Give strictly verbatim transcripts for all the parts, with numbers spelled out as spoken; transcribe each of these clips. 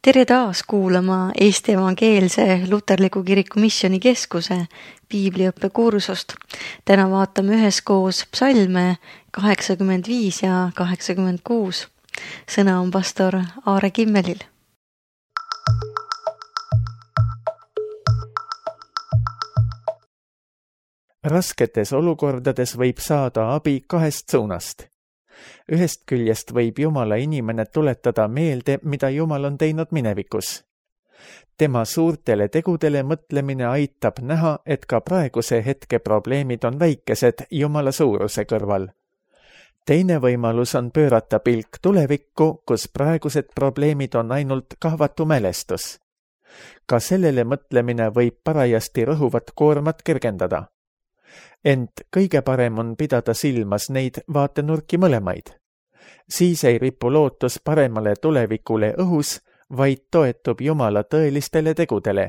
Tere taas kuulama Eesti Evangeelse Luterliku Kiriku Missioni Keskuse piibliõppe kursust. Täna vaatame üheskoos psalme kaheksakümmend viis ja kaheksakümmend kuus. Sõna on pastor Aare Kimmelil. Rasketes olukordades võib saada abi kahest suunast. Ühest küljest võib Jumala inimene tuletada meelde, mida Jumal on teinud minevikus. Tema suurtele tegudele mõtlemine aitab näha, et ka praeguse hetke probleemid on väikesed Jumala suuruse kõrval. Teine võimalus on pöörata pilk tulevikku, kus praegused probleemid on ainult kahvatu mälestus. Ka sellele mõtlemine võib parajasti rõhuvat koormat kergendada. Ent kõige parem on pidada silmas neid vaatenurki mõlemaid. Siis ei ripu lootus paremale tulevikule õhus, vaid toetub Jumala tõelistele tegudele.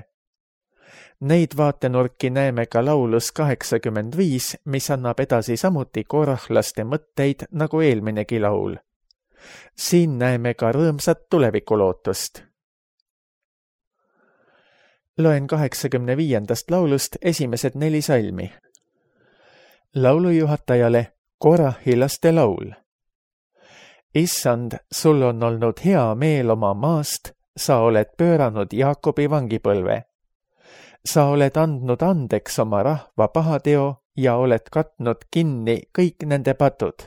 Neid vaatenurki näeme ka laulus kaheksakümmend viis, mis annab edasi samuti korahlaste mõtteid nagu eelminegi laul. Siin näeme ka rõõmsat tulevikulootust. Loen kaheksakümne viiendast laulust esimesed neli salmi. Laulujuhatajale Korahi laste laul. Issand, sul on olnud hea meel oma maast, sa oled pööranud Jaakobi vangipõlve. Sa oled andnud andeks oma rahva pahateo ja oled katnud kinni kõik nende patud.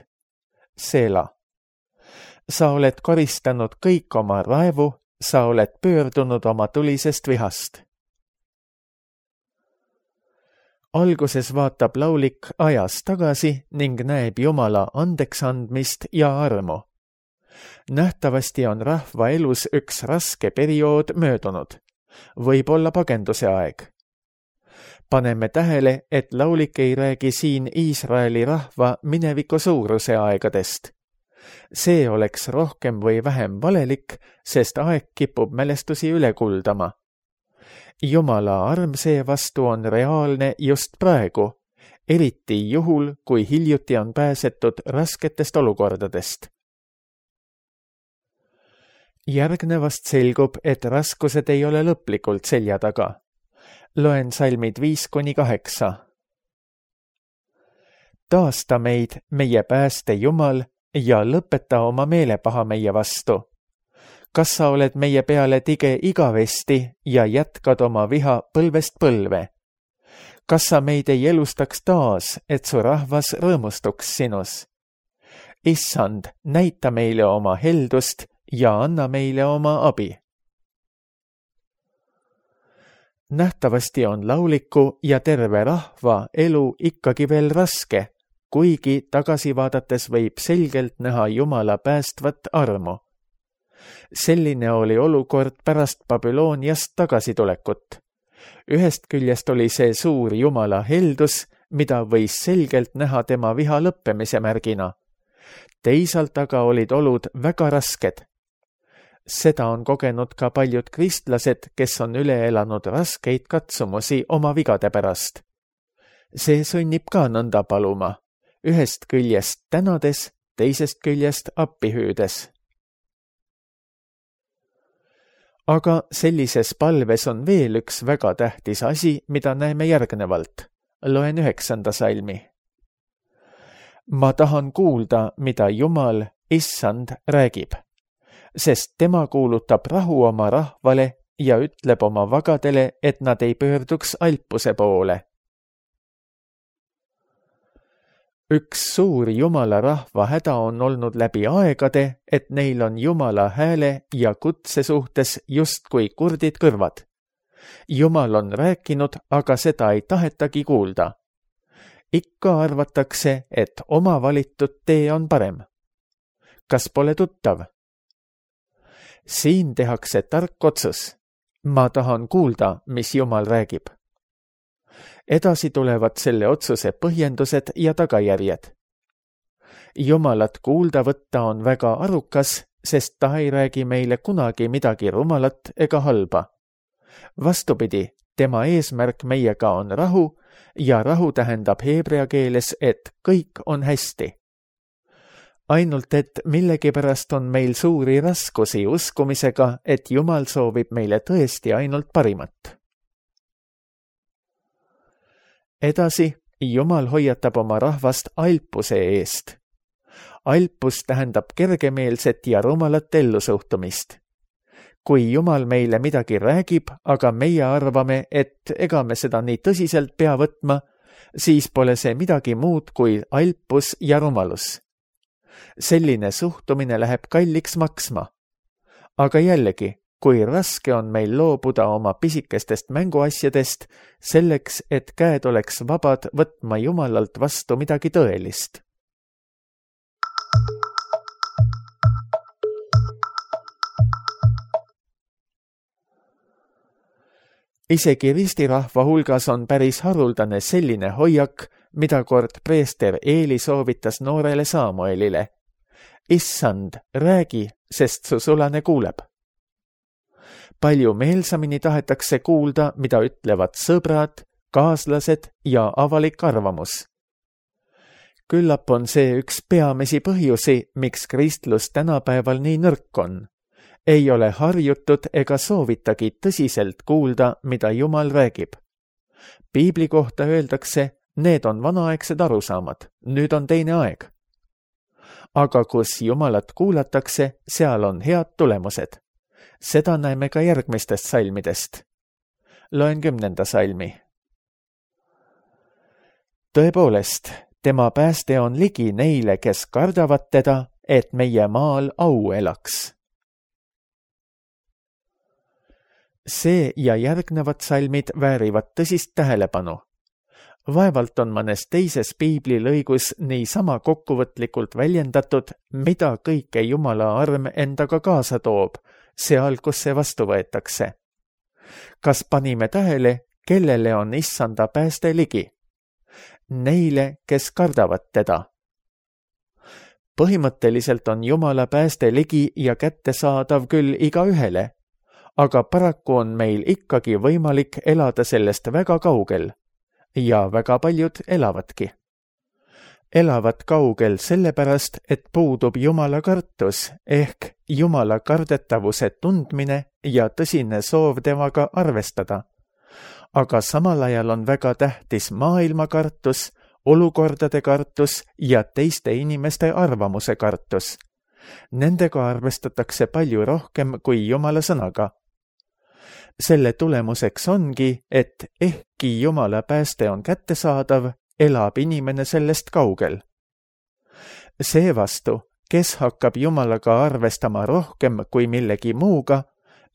Seela. Sa oled koristanud kõik oma raevu, sa oled pöördunud oma tulisest vihast. Alguses vaatab laulik ajas tagasi ning näeb Jumala andeks andmist ja armu. Nähtavasti on rahva elus üks raske periood möödunud. Võib olla pagenduse aeg. Paneme tähele, et laulik ei räägi siin Iisraeli rahva mineviku suuruse aegadest. See oleks rohkem või vähem valelik, sest aeg kipub mälestusi üle kuldama. Jumala arm seevastu on reaalne just praegu, eriti juhul, kui hiljuti on pääsetud rasketest olukordadest. Järgnevast selgub, et raskused ei ole lõplikult selja taga. Loen salmid viis kuni kaheksa. Taasta meid, meie pääste Jumal, ja lõpeta oma meelepaha meie vastu. Kas sa oled meie peale tige igavesti ja jätkad oma viha põlvest põlve? Kas sa meid ei elustaks taas, et su rahvas rõõmustuks sinus? Issand, näita meile oma heldust ja anna meile oma abi. Nähtavasti on lauliku ja terve rahva elu ikkagi veel raske, kuigi tagasi vaadates võib selgelt näha Jumala päästvat armu. Selline oli olukord pärast Babyloniast tagasitulekut. Ühest küljest oli see suur Jumala heldus, mida võis selgelt näha tema viha lõppemise märgina. Teisalt aga olid olud väga rasked. Seda on kogenud ka paljud kristlased, kes on üle elanud raskeid katsumusi oma vigade pärast. See sunnib ka nõnda paluma, ühest küljest tänades, teisest küljest appi hüüdes. Aga sellises palves on veel üks väga tähtis asi, mida näeme järgnevalt. Loen üheksanda salmi. Ma tahan kuulda, mida Jumal, Issand, räägib, sest tema kuulutab rahu oma rahvale ja ütleb oma vagadele, et nad ei pöörduks alpuse poole. Üks suur Jumala rahva häda on olnud läbi aegade, et neil on Jumala hääle ja kutse suhtes justkui kurdid kõrvad. Jumal on rääkinud, aga seda ei tahetagi kuulda. Ikka arvatakse, et oma valitud tee on parem. Kas pole tuttav? Siin tehakse tark otsus. Ma tahan kuulda, mis Jumal räägib. Edasi tulevad selle otsuse põhjendused ja tagajärjed. Jumalat kuulda võtta on väga arukas, sest ta ei räägi meile kunagi midagi rumalat ega halba. Vastupidi, tema eesmärk meiega on rahu ja rahu tähendab heebrea keeles, et kõik on hästi. ainult et millegipärast on meil suuri raskusi uskumisega, et Jumal soovib meile tõesti ainult parimat. Edasi, Jumal hoiatab oma rahvast alpuse eest. Alpus tähendab kergemeelset ja rumalat ellusuhtumist. Kui Jumal meile midagi räägib, aga meie arvame, et ega me seda nii tõsiselt pea võtma, siis pole see midagi muud kui alpus ja rumalus. Selline suhtumine läheb kalliks maksma. Aga jällegi, kui raske on meil loobuda oma pisikestest mänguasjadest selleks, et käed oleks vabad võtma Jumalalt vastu midagi tõelist. Isegi ristirahva hulgas on päris haruldane selline hoiak, mida kord preester Eeli soovitas noorele Saamuelile. Issand, räägi, sest su sulane kuuleb. Palju meelsamini tahetakse kuulda, mida ütlevad sõbrad, kaaslased ja avalik arvamus. Küllap on see üks peamisi põhjusi, miks kristlus tänapäeval nii nõrk on. Ei ole harjutud ega soovitagi tõsiselt kuulda, mida Jumal räägib. Piibli kohta öeldakse, need on vanaaegsed arusaamad, nüüd on teine aeg. Aga kus Jumalat kuulatakse, seal on head tulemused. Seda näeme ka järgmistest salmidest. Loen kümnenda salmi. Tõepoolest, tema pääste on ligi neile, kes kardavad teda, et meie maal au elaks. See ja järgnevad salmid väärivad tõsist tähelepanu. Vaevalt on mõnes teises piibli lõigus nii sama kokkuvõtlikult väljendatud, mida kõike Jumala arm endaga kaasa toob, seal, kus see vastu võetakse. Kas panime tähele, kellele on Issanda pääste ligi? Neile, kes kardavad teda. Põhimõtteliselt on Jumala pääste ligi ja kättesaadav küll igaühele, aga paraku on meil ikkagi võimalik elada sellest väga kaugel ja väga paljud elavadki. Elavad kaugel sellepärast, et puudub Jumala kartus ehk Jumala kardetavuse tundmine ja tõsine soov temaga arvestada. Aga samal ajal on väga tähtis maailma kartus, olukordade kartus ja teiste inimeste arvamuse kartus. Nendega arvestatakse palju rohkem kui Jumala sõnaga. Selle tulemuseks ongi, et ehkki Jumala pääste on kättesaadav, elab inimene sellest kaugel. Seevastu, kes hakkab Jumalaga arvestama rohkem kui millegi muuga,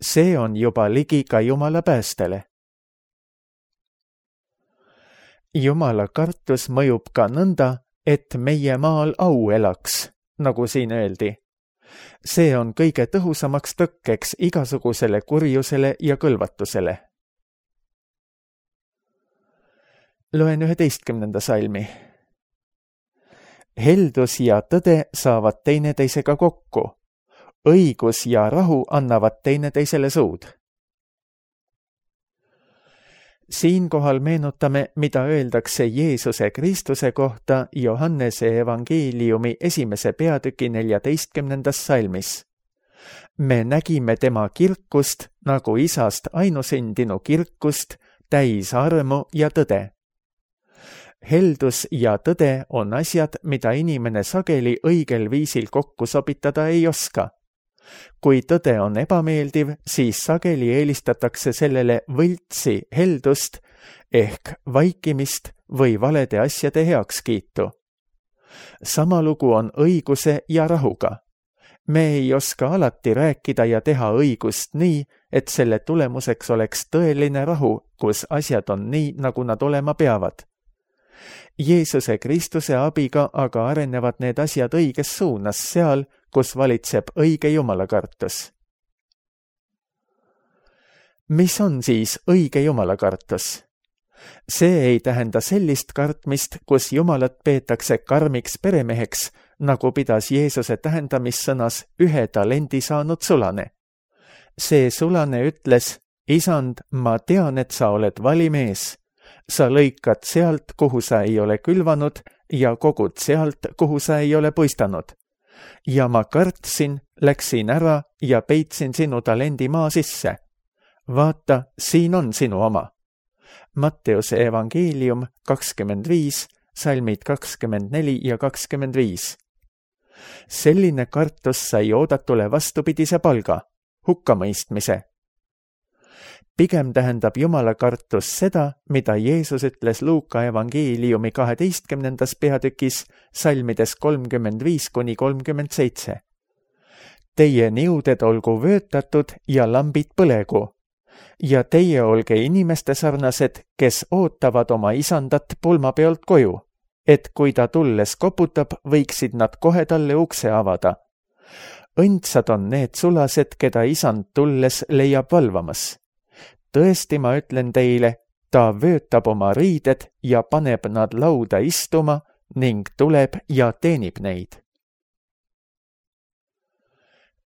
see on juba ligi ka Jumala päästele. Jumala kartus mõjub ka nõnda, et meie maal au elaks, nagu siin öeldi. See on kõige tõhusamaks tõkkeks igasugusele kurjusele ja kõlvatusele. Loen üheteistkümnenda salmi. Heldus ja tõde saavad teineteisega kokku. Õigus ja rahu annavad teineteisele suud. Siinkohal meenutame, mida öeldakse Jeesuse Kristuse kohta Johannese evangeeliumi esimese peatüki neljateistkümnendas salmis. Me nägime tema kirkust nagu isast ainusündinu kirkust, täis armu ja tõde. Heldus ja tõde on asjad, mida inimene sageli õigel viisil kokku sobitada ei oska. Kui tõde on ebameeldiv, siis sageli eelistatakse sellele võltsi heldust ehk vaikimist või valede asjade heakskiitu. Sama lugu on õiguse ja rahuga. Me ei oska alati rääkida ja teha õigust nii, et selle tulemuseks oleks tõeline rahu, kus asjad on nii, nagu nad olema peavad. Jeesuse Kristuse abiga aga arenevad need asjad õiges suunas seal, kus valitseb õige jumalakartus. Mis on siis õige jumalakartus? See ei tähenda sellist kartmist, kus Jumalat peetakse karmiks peremeheks, nagu pidas Jeesuse tähendamissõnas ühe talendi saanud sulane. See sulane ütles, Isand, ma tean, et sa oled valimees. Sa lõikad sealt, kuhu sa ei ole külvanud ja kogud sealt, kuhu sa ei ole puistanud. ja ma kartsin, läksin ära ja peitsin sinu talendi maa sisse. Vaata, siin on sinu oma. Matteuse evangeelium kakskümmend viis, salmid kakskümmend neli ja kakskümmend viis. Selline kartus sai oodatule vastupidise palga, hukkamõistmise. Pigem tähendab Jumala kartus seda, mida Jeesus ütles Luuka evangeeliumi kaheteistkümnendas peatükis, salmides kolmkümmend viis kuni kolmkümmend seitse. Teie niuded olgu vöötatud ja lambid põlegu, ja teie olge inimeste sarnased, kes ootavad oma isandat pulmapeolt koju, et kui ta tulles koputab, võiksid nad kohe talle ukse avada. Õndsad on need sulased, keda isand tulles leiab valvamas. Tõesti, ma ütlen teile, ta vöötab oma riided ja paneb nad lauda istuma ning tuleb ja teenib neid.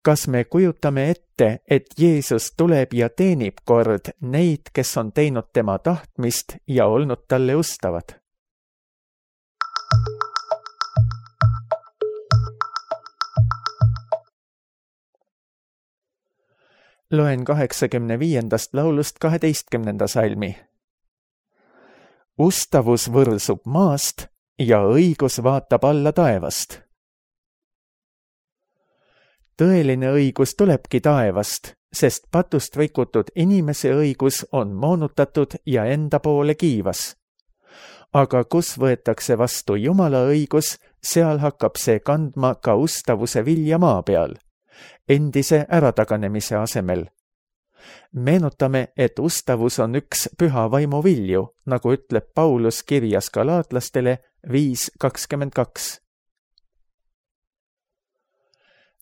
Kas me kujutame ette, et Jeesus tuleb ja teenib kord neid, kes on teinud tema tahtmist ja olnud talle ustavad? Loen kaheksakümne viiendast laulust kaheteistkümnenda salmi. Ustavus võrsub maast ja õigus vaatab alla taevast. Tõeline õigus tulebki taevast, sest patust rikutud inimese õigus on moonutatud ja enda poole kiivas. Aga kus võetakse vastu Jumala õigus, seal hakkab see kandma ka ustavuse vilja maa peal, endise ärataganemise asemel. Meenutame, et ustavus on üks püha vaimu vilju, nagu ütleb Paulus kirjas galaatlastele viis kakskümmend kaks.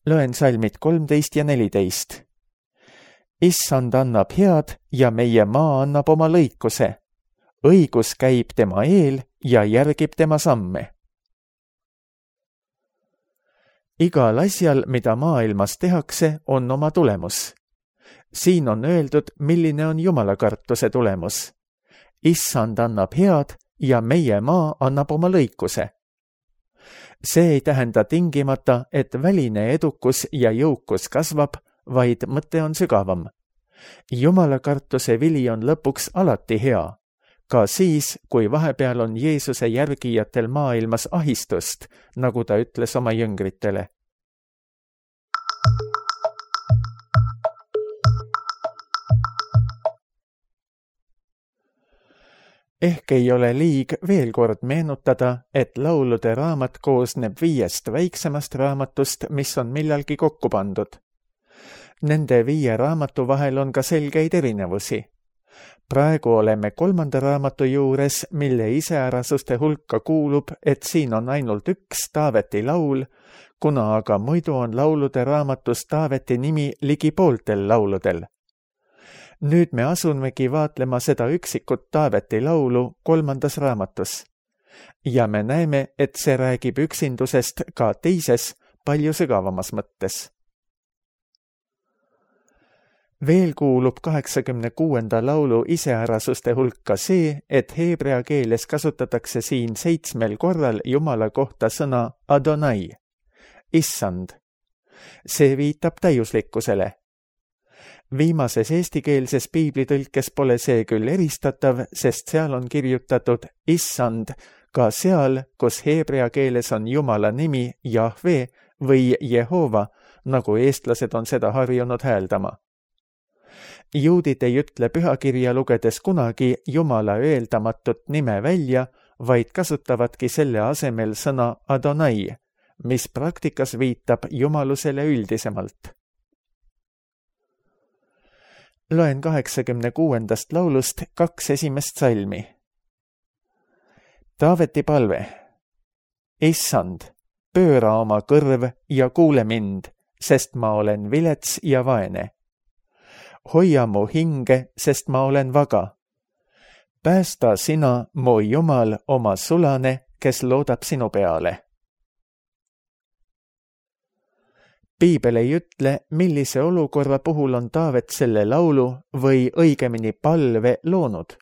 Loen salmid kolmteist ja neliteist. Issand annab head ja meie maa annab oma lõikuse. Õigus käib tema eel ja järgib tema samme. Igal asjal, mida maailmas tehakse, on oma tulemus. Siin on öeldud, milline on Jumala kartuse tulemus. Issand annab head ja meie maa annab oma lõikuse. See ei tähenda tingimata, et väline edukus ja jõukus kasvab, vaid mõte on sügavam. Jumala kartuse vili on lõpuks alati hea, ka siis, kui vahepeal on Jeesuse järgijatel maailmas ahistust, nagu ta ütles oma jüngritele. Ehk ei ole liig veel kord meenutada, et laulude raamat koosneb viiest väiksemast raamatust, mis on millalgi kokku pandud. Nende viie raamatu vahel on ka selgeid erinevusi. Praegu oleme kolmanda raamatu juures, mille iseärasuste hulka kuulub, et siin on ainult üks Taaveti laul, kuna aga muidu on laulude raamatus Taaveti nimi ligi pooltel lauludel. Nüüd me asunmegi vaatlema seda üksikut Taaveti laulu kolmandas raamatus. Ja me näeme, et see räägib üksindusest ka teises, palju sügavamas mõttes. Veel kuulub kaheksakümne kuuenda laulu iseärasuste hulka see, et heebrea keeles kasutatakse siin seitsmel korral Jumala kohta sõna Adonai, issand. See viitab täiuslikkusele. Viimases eestikeelses piiblitõlkes pole see küll eristatav, sest seal on kirjutatud issand ka seal, kus heebrea keeles on Jumala nimi Jahve või Jehova, nagu eestlased on seda harjunud hääldama. Juudid ei ütle pühakirja lugedes kunagi Jumala öeldamatut nime välja, vaid kasutavadki selle asemel sõna Adonai, mis praktikas viitab jumalusele üldisemalt. Loen kaheksakümne kuuendast laulust kaks esimest salmi. Taaveti palve. Issand, pööra oma kõrv ja kuule mind, sest ma olen vilets ja vaene. Hoia mu hinge, sest ma olen vaga. Päästa sina, mu Jumal, oma sulane, kes loodab sinu peale. Piibel ei ütle, millise olukorra puhul on Taavet selle laulu või õigemini palve loonud,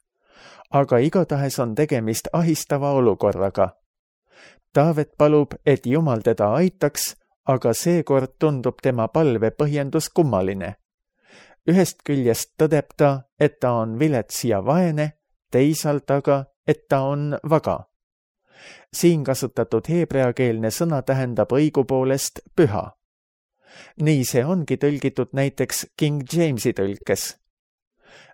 aga igatahes on tegemist ahistava olukorraga. Taavet palub, et Jumal teda aitaks, aga seekord tundub tema palve põhjendus kummaline. Ühest küljest tõdeb ta, et ta on vilets ja vaene, teisalt aga, et ta on vaga. Siin kasutatud heebreakeelne sõna tähendab õigupoolest püha. Nii see ongi tõlgitud näiteks King Jamesi tõlkes.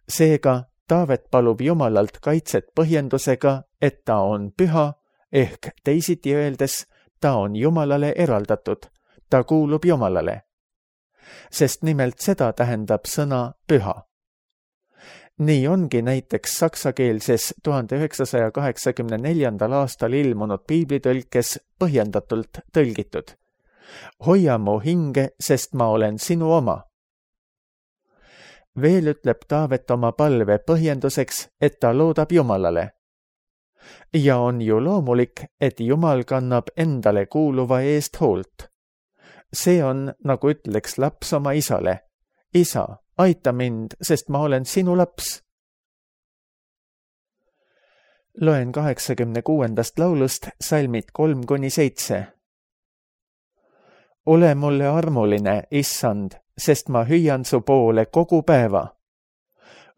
Seega Taavet palub Jumalalt kaitset põhjendusega, et ta on püha, ehk teisiti öeldes, ta on Jumalale eraldatud, ta kuulub Jumalale. Sest nimelt seda tähendab sõna püha. Nii ongi näiteks saksakeelses tuhande üheksasaja kaheksakümne neljandal aastal ilmunud piiblitõlkes põhjendatult tõlgitud. Hoia mu hinge, sest ma olen sinu oma. Veel ütleb Taavet oma palve põhjenduseks, et ta loodab Jumalale. Ja on ju loomulik, et Jumal kannab endale kuuluva eest hoolt. See on, nagu ütleks laps oma isale. Isa, aita mind, sest ma olen sinu laps. Loen kaheksakümne kuuendast laulust salmid kolm kuni seitse. Ole mulle armuline, issand, sest ma hüüan su poole kogu päeva.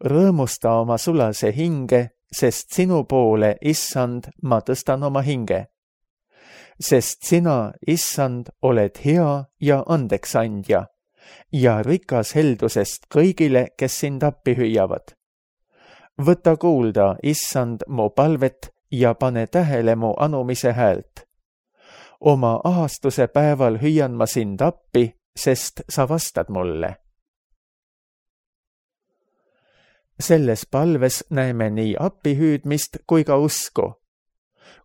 Rõõmusta oma sulase hinge, sest sinu poole, issand, ma tõstan oma hinge. Sest sina, issand, oled hea ja andeks andja ja rikas heldusest kõigile, kes sind appi hüüavad. Võta kuulda, issand, mu palvet ja pane tähele mu anumise häält. Oma ahastuse päeval hüüan ma sind appi, sest sa vastad mulle. Selles palves näeme nii appihüüdmist kui ka usku.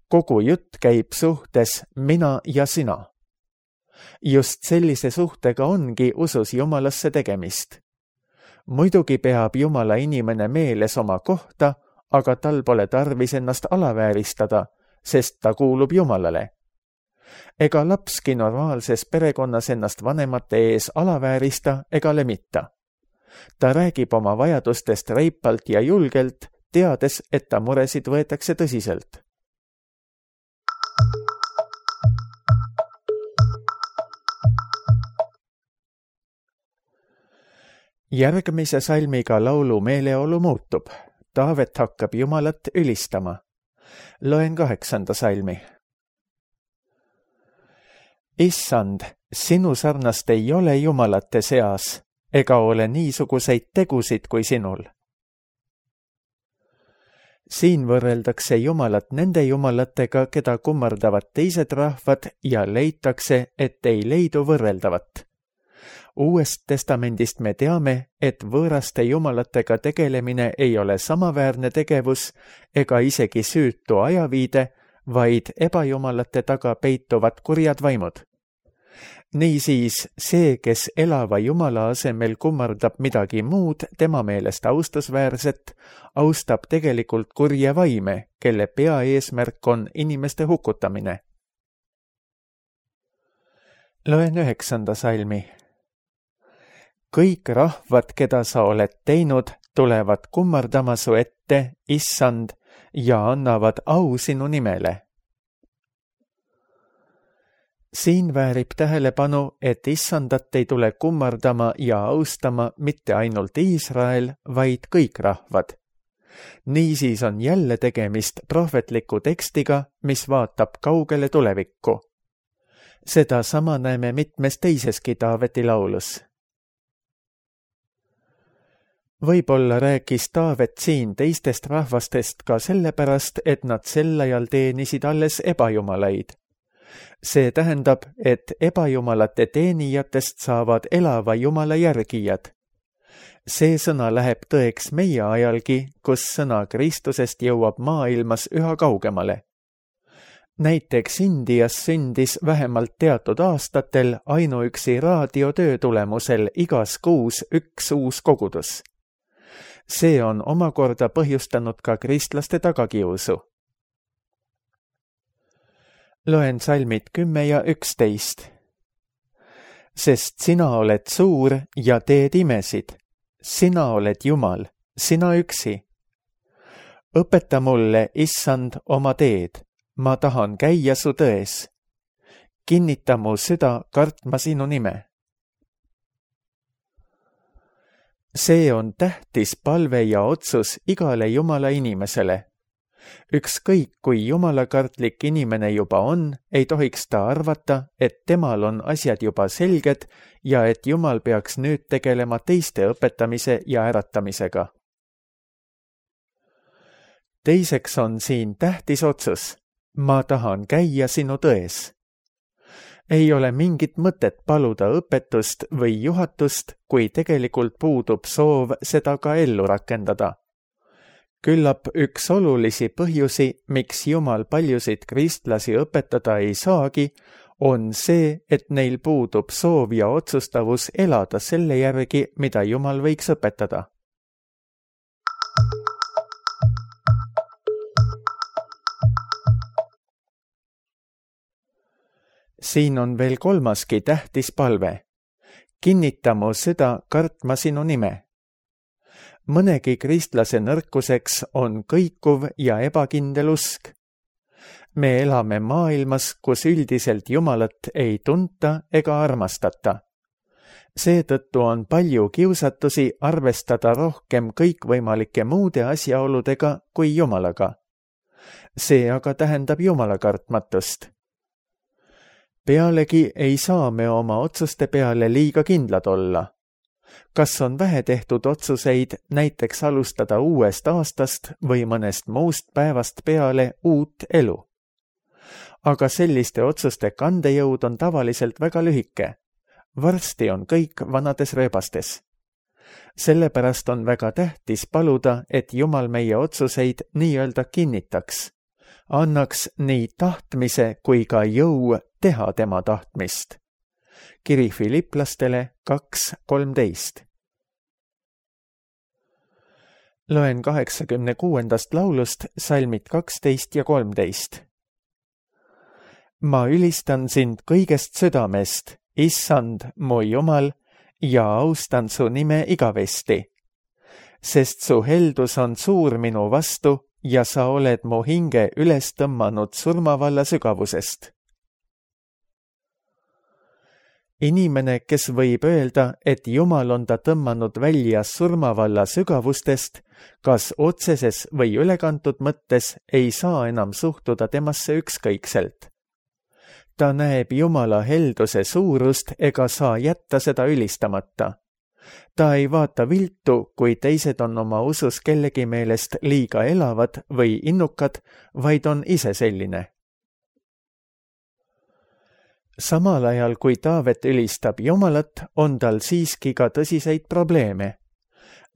Kogu jutt käib suhtes mina ja sina. Just sellise suhtega ongi usus Jumalasse tegemist. Muidugi peab Jumala inimene meeles oma kohta, aga tal pole tarvis ennast alavääristada, sest ta kuulub Jumalale. Ega lapski normaalses perekonnas ennast vanemate ees alaväärista ega lemita. Ta räägib oma vajadustest reipalt ja julgelt, teades, et ta muresid võetakse tõsiselt. Järgmise salmiga laulu meeleolu muutub. Taavet hakkab Jumalat ülistama. Loen kaheksanda salmi. Issand, sinu sarnast ei ole jumalate seas, ega ole niisuguseid tegusid kui sinul. Siin võrreldakse Jumalat nende jumalatega, keda kummardavad teised rahvad ja leitakse, et ei leidu võrreldavat. Uuest testamendist me teame, et võõraste jumalatega tegelemine ei ole samaväärne tegevus ega isegi süütu ajaviide, vaid ebajumalate taga peituvad kurjad vaimud. Niisiis see, kes elava Jumala asemel kummardab midagi muud tema meelest austusväärset, austab tegelikult kurje vaime, kelle peaeesmärk on inimeste hukutamine. Loen üheksanda salmi. Kõik rahvad, keda sa oled teinud, tulevad kummardama su ette, issand, ja annavad au sinu nimele. Siin väärib tähelepanu, et issandat ei tule kummardama ja austama mitte ainult Iisrael, vaid kõik rahvad. Niisiis on jälle tegemist prohvetliku tekstiga, mis vaatab kaugele tulevikku. Seda sama näeme mitmes teiseski Taaveti laulus. Võib-olla rääkis Taavet siin teistest rahvastest ka sellepärast, et nad sel ajal teenisid alles ebajumalaid. See tähendab, et ebajumalate teenijatest saavad elava Jumala järgijad. See sõna läheb tõeks meie ajalgi, kus sõna Kristusest jõuab maailmas üha kaugemale. Näiteks Indias sündis vähemalt teatud aastatel ainuüksi raadiotöö tulemusel igas kuus üks uus kogudus. See on omakorda põhjustanud ka kristlaste tagakiusu. Loen salmid kümme ja üksteist. Sest sina oled suur ja teed imesid. Sina oled Jumal, sina üksi. Õpeta mulle, issand, oma teed. Ma tahan käia su tões. kinnita mu süda kartma sinu nime. See on tähtis palve ja otsus igale Jumala inimesele. Ükskõik, kui jumalakartlik inimene juba on, ei tohiks ta arvata, et temal on asjad juba selged ja et Jumal peaks nüüd tegelema teiste õpetamise ja äratamisega. Teiseks on siin tähtis otsus. Ma tahan käia sinu tões. Ei ole mingit mõtet paluda õpetust või juhatust, kui tegelikult puudub soov seda ka ellu rakendada. Küllap üks olulisi põhjusi, miks Jumal paljusid kristlasi õpetada ei saagi, on see, et neil puudub soov ja otsustavus elada selle järgi, mida Jumal võiks õpetada. Siin on veel kolmaski tähtis palve. Kinnita mu süda kartma sinu nime. Mõnegi kristlase nõrkuseks on kõikuv ja ebakindel usk. Me elame maailmas, kus üldiselt Jumalat ei tunta ega armastata. Seetõttu on palju kiusatusi arvestada rohkem kõikvõimalike muude asjaoludega kui Jumalaga. See aga tähendab Jumala kartmatust. Pealegi ei saa me oma otsuste peale liiga kindlad olla. Kas on vähe tehtud otsuseid näiteks alustada uuest aastast või mõnest muust päevast peale uut elu? Aga selliste otsuste kandejõud on tavaliselt väga lühike. Varsti on kõik vanades rööbastes. Sellepärast on väga tähtis paluda, et Jumal meie otsuseid nii-öelda kinnitaks. Annaks nii tahtmise kui ka jõu teha tema tahtmist. Kiri Filiplastele kaks kolmteist. Loen kaheksakümne kuuendast laulust salmid kaksteist ja kolmteist. Ma ülistan sind kõigest südamest, Issand, mu Jumal, ja austan su nime igavesti, sest su heldus on suur minu vastu ja sa oled mu hinge üles tõmmanud surmavalla sügavusest. Inimene, kes võib öelda, et Jumal on ta tõmmanud välja surmavalla sügavustest, kas otseses või ülekantud mõttes ei saa enam suhtuda temasse ükskõikselt. Ta näeb Jumala helduse suurust ega saa jätta seda ülistamata. Ta ei vaata viltu, kui teised on oma usus kellegi meelest liiga elavad või innukad, vaid on ise selline. Samal ajal, kui Taavet ülistab Jumalat, on tal siiski ka tõsiseid probleeme.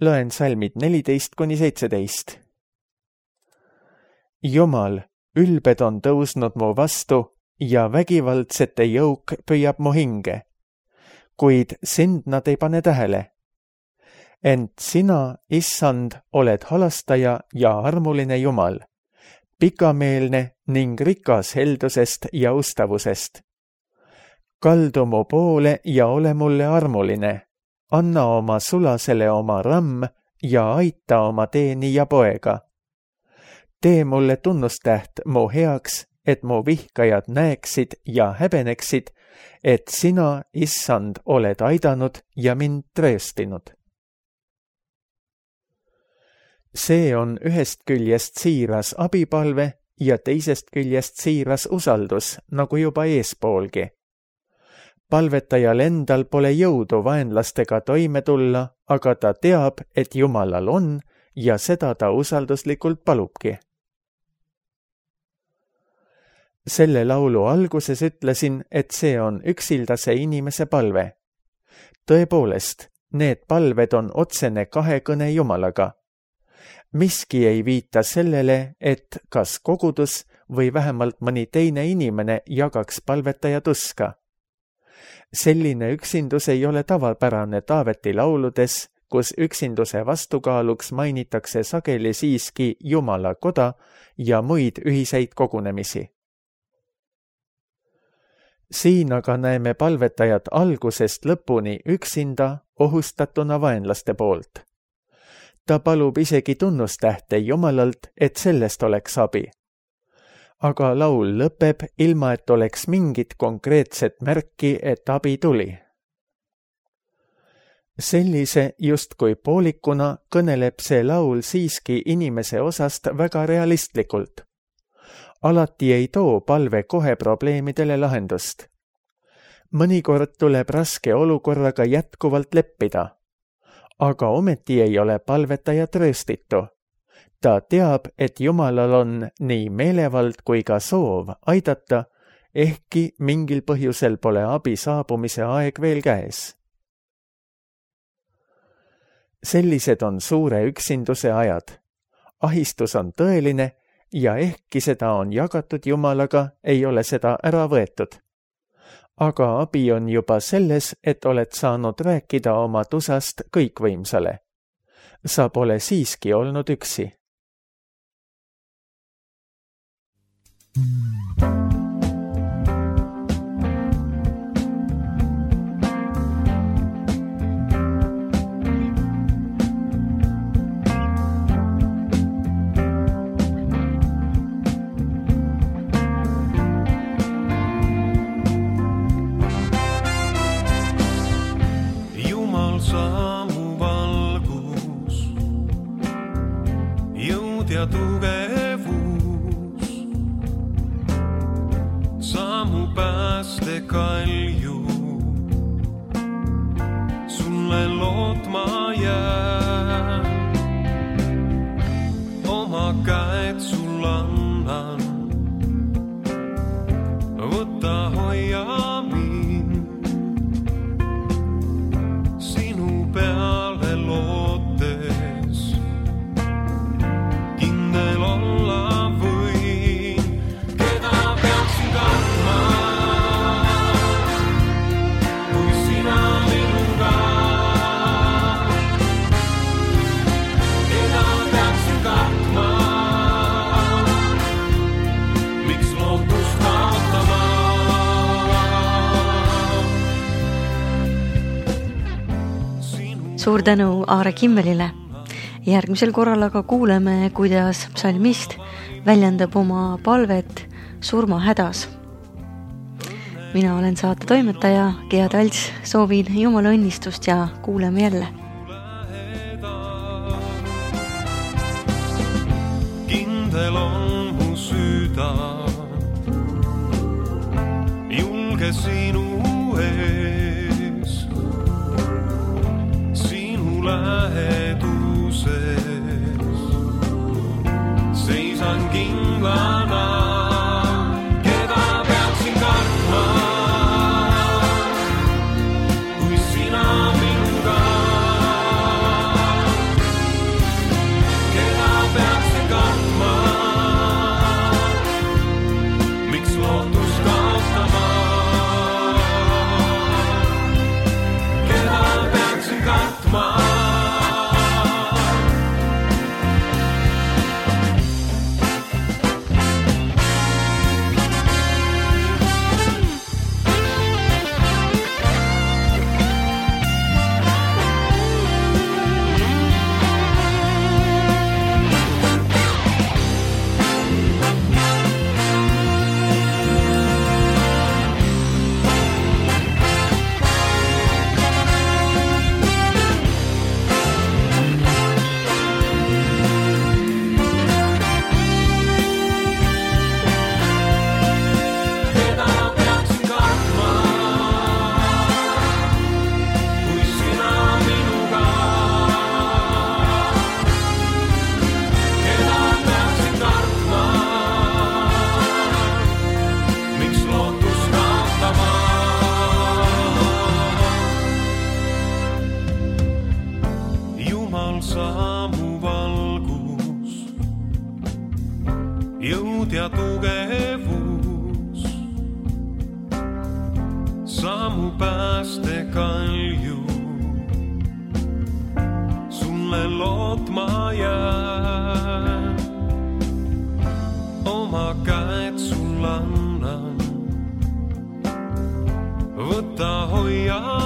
Loen salmid neliteist kuni seitseteist. Jumal, ülbed on tõusnud mu vastu ja vägivaldsete jõuk püüab mu hinge, kuid sind nad ei pane tähele. Ent sina, Issand, oled halastaja ja armuline Jumal, pikameelne ning rikas heldusest ja ustavusest. Kaldu mu poole ja ole mulle armuline, anna oma sulasele oma ramm ja aita oma teeni ja poega. Tee mulle tunnustäht mu heaks, et mu vihkajad näeksid ja häbeneksid, et sina, Issand, oled aidanud ja mind trööstinud. See on ühest küljest siiras abipalve ja teisest küljest siiras usaldus, nagu juba eespoolgi. Palvetajal endal pole jõudu vaenlastega toime tulla, aga ta teab, et Jumalal on ja seda ta usalduslikult palubki. Selle laulu alguses ütlesin, et see on üksildase inimese palve. Tõepoolest, need palved on otsene kahekõne Jumalaga. Miski ei viita sellele, et kas kogudus või vähemalt mõni teine inimene jagaks palvetaja tuska. Selline üksindus ei ole tavapärane Taaveti lauludes, kus üksinduse vastukaaluks mainitakse sageli siiski Jumala koda ja muid ühiseid kogunemisi. Siin aga näeme palvetajat algusest lõpuni üksinda ohustatuna vaenlaste poolt. Ta palub isegi tunnustähte Jumalalt, et sellest oleks abi. aga laul lõpeb ilma, et oleks mingit konkreetset märki, et abi tuli. Sellise justkui poolikuna kõneleb see laul siiski inimese osast väga realistlikult. Alati ei too palve kohe probleemidele lahendust. Mõnikord tuleb raske olukorraga jätkuvalt leppida, aga ometi ei ole palvetaja trööstitu. Ta teab, et Jumalal on nii meelevald kui ka soov aidata, ehkki mingil põhjusel pole abi saabumise aeg veel käes. Sellised on suure üksinduse ajad. Ahistus on tõeline ja ehkki seda on jagatud Jumalaga, ei ole seda ära võetud. Aga abi on juba selles, et oled saanud rääkida oma tusast kõikvõimsale. Sa pole siiski olnud üksi. Ja tugevus, sammu päästekalju, sulle lootma jään, oma käed sul annan, võta hoia mind, sinu peale lootes. Suur tänu Aare Kimmelile. Järgmisel korral aga kuuleme, kuidas psalmist väljendab oma palvet surmahädas. Mina olen saate toimetaja Gea Talts, soovin Jumala õnnistust ja kuuleme jälle. Kindel on mu süda, julge sinu ees, sinu läheduses, seisan kindlana. Jõud ja tugevus, sammu päästekalju, sulle lootma jään, oma käed sul annan, võta hoia